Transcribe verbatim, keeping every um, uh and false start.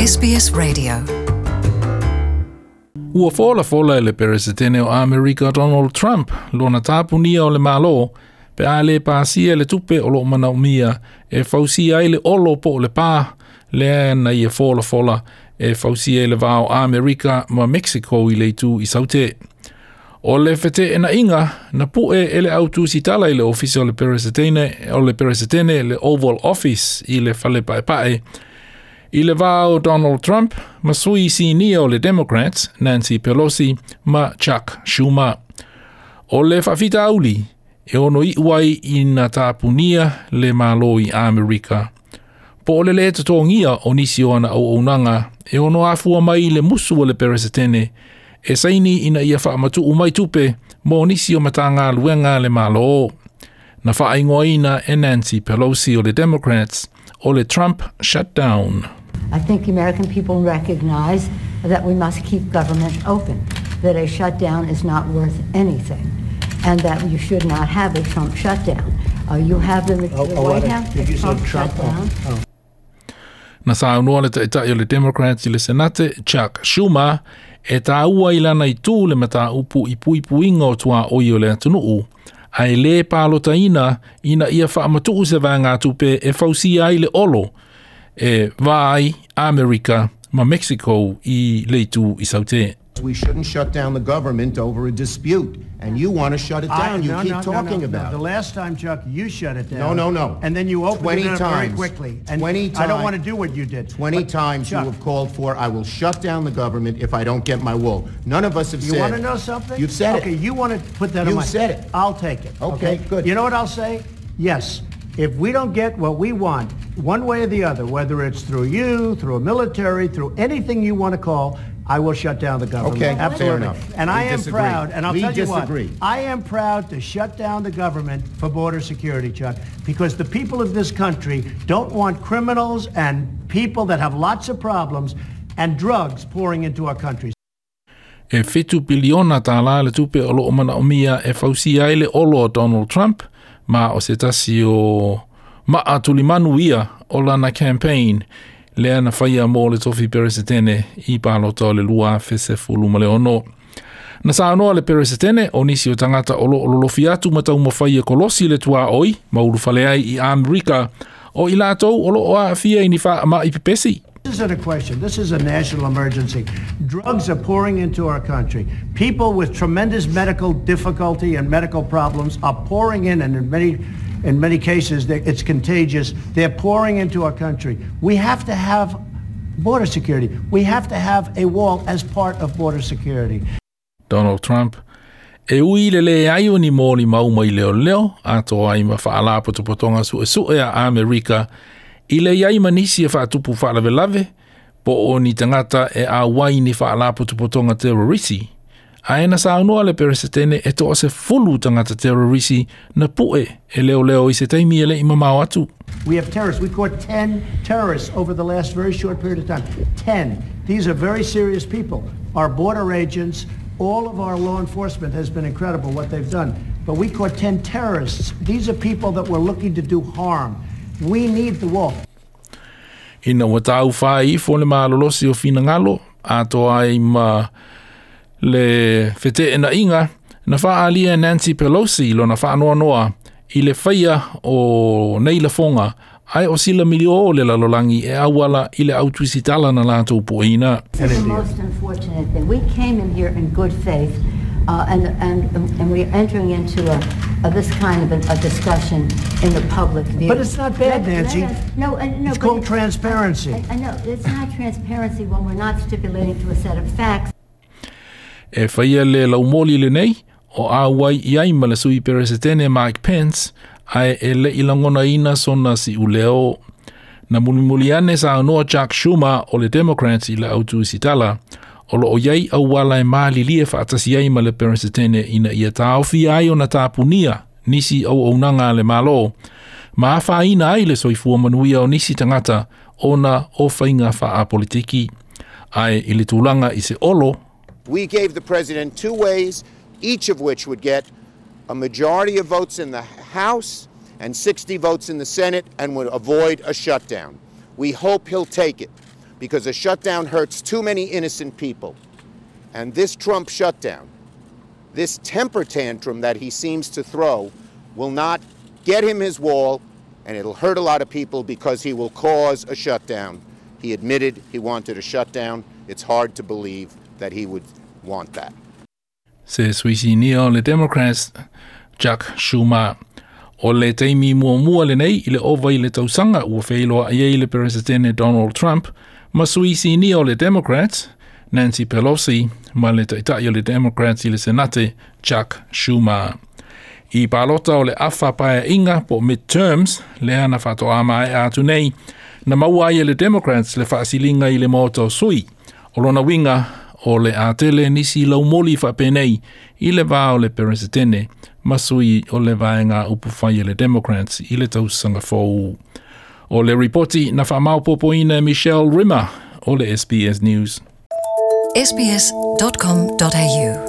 S B S Radio. Ua folafola e le Peresetene o Amerika Donald Trump lona tapunia o le Malo pe a le pasia le tupe o lo manaomia e fausia ai le olo po o le pā lea na ia folafola e fausia i le va o Amerika ma Mexico i le itu i saute. O le feteenaiga na pue e le au tusitala i le ofisa o le Peresetene, o le Peresetene, le Oval Office i le fale paepae, i le va o Donald Trump ma sui sinia o le Democrats Nancy Pelosi ma Chuck Schumer. O le faafitauli e ono iu ai ina tapunia le Malo i Amerika, po o le le totogia o nisi o ana auaunaga e ono afua mai i le musu o le Peresetene e saini ina ia faamatuu mai tupe mo nisi o Matagaluega le Malo. Na faaigoaina e Nancy Pelosi o le Democrats o le Trump shutdown. I think the American people recognize that we must keep government open, that a shutdown is not worth anything, and that you should not have a Trump shutdown. Uh, you have the, the Oh, oh, White what? House, Did a you say Trump Trump? shutdown. Oh, oh. Na saunoa le taitai o le Democrats i le Senate Chuck Schumer e tāua i lana itu le mataupu i puipuiga o tuaoi o le atunuu, ae le palotaina ina ia faamatuu se vaegatupe e fausia ai le olo e va ai Amerika ma Mexico i le itu i saute. We shouldn't shut down the government over a dispute, and you want to shut it I- down. You no, keep no, no, talking no, about no. The it. last time, Chuck, you shut it down. No, no, no. And then you opened twenty it up very times. quickly. And twenty I don't times. want to do what you did. twenty But, times Chuck, you have called for, "I will shut down the government if I don't get my wool." None of us have You said. want to know something? You've said Okay, it. you want to put that on You my... said it. I'll take it. Okay, good. You know what I'll say? Yes. If we don't get what we want, one way or the other, whether it's through you, through a military, through anything you want to call, I will shut down the government. Okay, fair Absolutely. enough. And We I am disagree. proud, and I'll We tell you disagree. what, I am proud to shut down the government for border security, Chuck, because the people of this country don't want criminals and people that have lots of problems and drugs pouring into our country. E fitu piliona tālā le tupe o loo manaomia e fausia ai le olo o Donald Trump, ma o se tasi o maa tulimanu ia o lana campaign lea na faia mo le tofi Peresetene i palota o le lua afe sefulu ma le ono. Na saunoa le Peresetene o nisi o tagata o loo lolofi atu ma taumafai e kolosi le tuaoi ma ulufale ai i Amerika o i latou o loo aafia i ni faamai pepesi. This isn't a question. This is a national emergency. Drugs are pouring into our country. People with tremendous medical difficulty and medical problems are pouring in, and in many, in many cases, they- it's contagious. They're pouring into our country. We have to have border security. We have to have a wall as part of border security. Donald Trump e ui le leai o ni molimau mai leoleo atoa ai ma faalapotopotoga suesue a Amerika i le iai ma nisi e faatupu faalavelave po o ni tagata e auai ni faalapotopotoga terrorisi. Ae na saunoa le Peresetene e toasefulu tagata terrorisi na pue e leoleo i se taimi e le i mamao atu. We have terrorists. We caught ten terrorists over the last very short period of time. ten. These are very serious people. Our border agents, all of our law enforcement has been incredible what they've done. But we caught ten terrorists. These are people that were looking to do harm. We need the wall. Ina ua taufai ifo le malolosi o finagalo atoa ai ma le feteenaiga, na faaalia Nancy Pelosi lona faanoanoa i le faia o nei lafoga ae o sila milio le lalolagi e auala i le au tusitala na latou pueina. This is the most unfortunate thing. We came in here in good faith, uh, and, and, and we're entering into a, a this kind of a, a discussion in the public view. But it's not bad, Let- Nancy. let us- no, uh, no. It's but called transparency. I, I know. It's not transparency when we're not stipulating to a set of facts. E faia le laumoli lenei o auai i ai ma le sui Peresetene Mike Pence, ae e le i lagonaina sona siuleo. Na mulimuli ane saunoa Chuck Schumer o le Democrats i le au tusitala o loo iai auala e malilie faatasi ai ma le Peresetene ina ia taofia ai ona tapunia nisi auaunaga a le Malo ma afaina ai le soifua manuia o nisi tagata ona o faiga faapolitiki. Ae i le tulaga i se olo, We gave the president two ways, each of which would get a majority of votes in the House and sixty votes in the Senate and would avoid a shutdown. We hope he'll take it. Because a shutdown hurts too many innocent people. And this Trump shutdown, this temper tantrum that he seems to throw, will not get him his wall, and it'll hurt a lot of people because he will cause a shutdown. He admitted he wanted a shutdown. It's hard to believe that he would want that. Se sui sinia o le Democrats, Chuck Schumer. O le taimi muamua lenei i le ova i le tausaga ua feiloai ai le Peresetene Donald Trump ma sui sinia o le Democrats, Nancy Pelosi, ma le taitai o le Democrats i le Senate, Chuck Schumer. I palota o le afa paeaiga po midterms, lea na faatoa maea atu nei, na maua ai e le Democrats le faasiliga i le Maota o Sui. O lona uiga o le a tele nisi laumoli faapenei i le va o le Peresetene ma sui o le vaega upufai e le Democrats i le tausaga fou. O le ripoti na faamaopoopoina e Michelle Rimmer o le S B S News. S B S dot com dot A U.